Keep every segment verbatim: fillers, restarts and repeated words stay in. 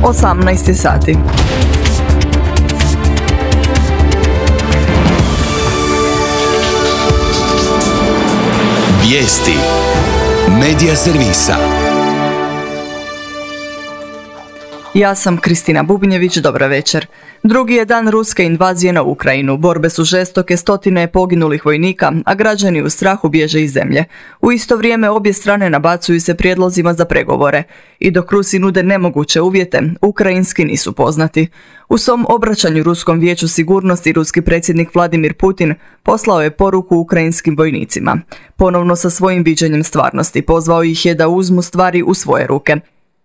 osamnaest sati. Vijesti Medija servisa. Ja sam Kristina Bubnjević, dobra večer. Drugi je dan ruske invazije na Ukrajinu. Borbe su žestoke, stotine je poginulih vojnika, a građani u strahu bježe iz zemlje. U isto vrijeme obje strane nabacuju se prijedlozima za pregovore. I dok Rusi nude nemoguće uvjete, ukrajinski nisu poznati. U svom obraćanju Ruskom vijeću sigurnosti ruski predsjednik Vladimir Putin poslao je poruku ukrajinskim vojnicima. Ponovno sa svojim viđenjem stvarnosti pozvao ih je da uzmu stvari u svoje ruke.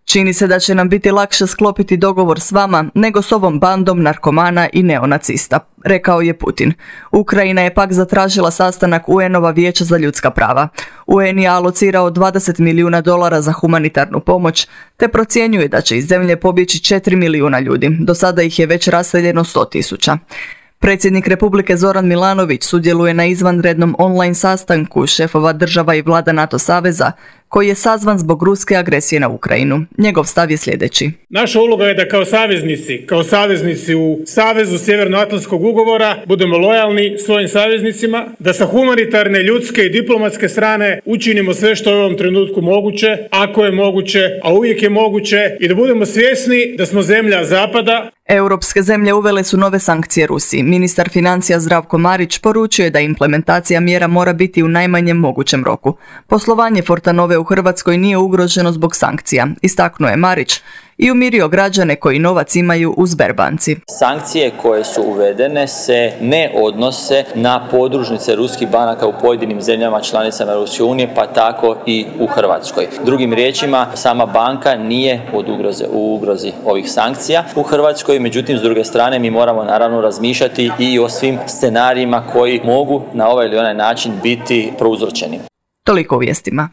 Čini se da će nam biti lakše sklopiti dogovor s vama nego s ovom bandom narkomana i neonacista, rekao je Putin. Ukrajina je pak zatražila sastanak U N-ova vijeća za ljudska prava. U N je alocirao dvadeset milijuna dolara za humanitarnu pomoć, te procjenjuje da će iz zemlje pobjeći četiri milijuna ljudi. Do sada ih je već raseljeno sto tisuća. Predsjednik Republike Zoran Milanović sudjeluje na izvanrednom online sastanku šefova država i vlada NATO saveza, koji je sazvan zbog ruske agresije na Ukrajinu. Njegov stav je sljedeći. Naša uloga je da kao saveznici, kao saveznici u Savezu Sjevernoatlantskog ugovora budemo lojalni svojim saveznicima, da sa humanitarne, ljudske i diplomatske strane učinimo sve što je u ovom trenutku moguće, ako je moguće, a uvijek je moguće, i da budemo svjesni da smo zemlja Zapada. Europske zemlje uvele su nove sankcije Rusiji. Ministar financija Zdravko Marić poručio je da implementacija mjera mora biti u najmanjem mogućem roku. Poslovanje Fortanove u Hrvatskoj nije ugroženo zbog sankcija, istaknuo je Marić i umirio građane koji novac imaju u Sberbanci. Sankcije koje su uvedene se ne odnose na podružnice ruskih banaka u pojedinim zemljama članicama Europske unije, pa tako i u Hrvatskoj. Drugim riječima, sama banka nije od ugroze, u ugrozi ovih sankcija u Hrvatskoj, međutim, s druge strane, mi moramo naravno razmišljati i o svim scenarijima koji mogu na ovaj ili onaj način biti prouzročeni. Toliko u vijestima.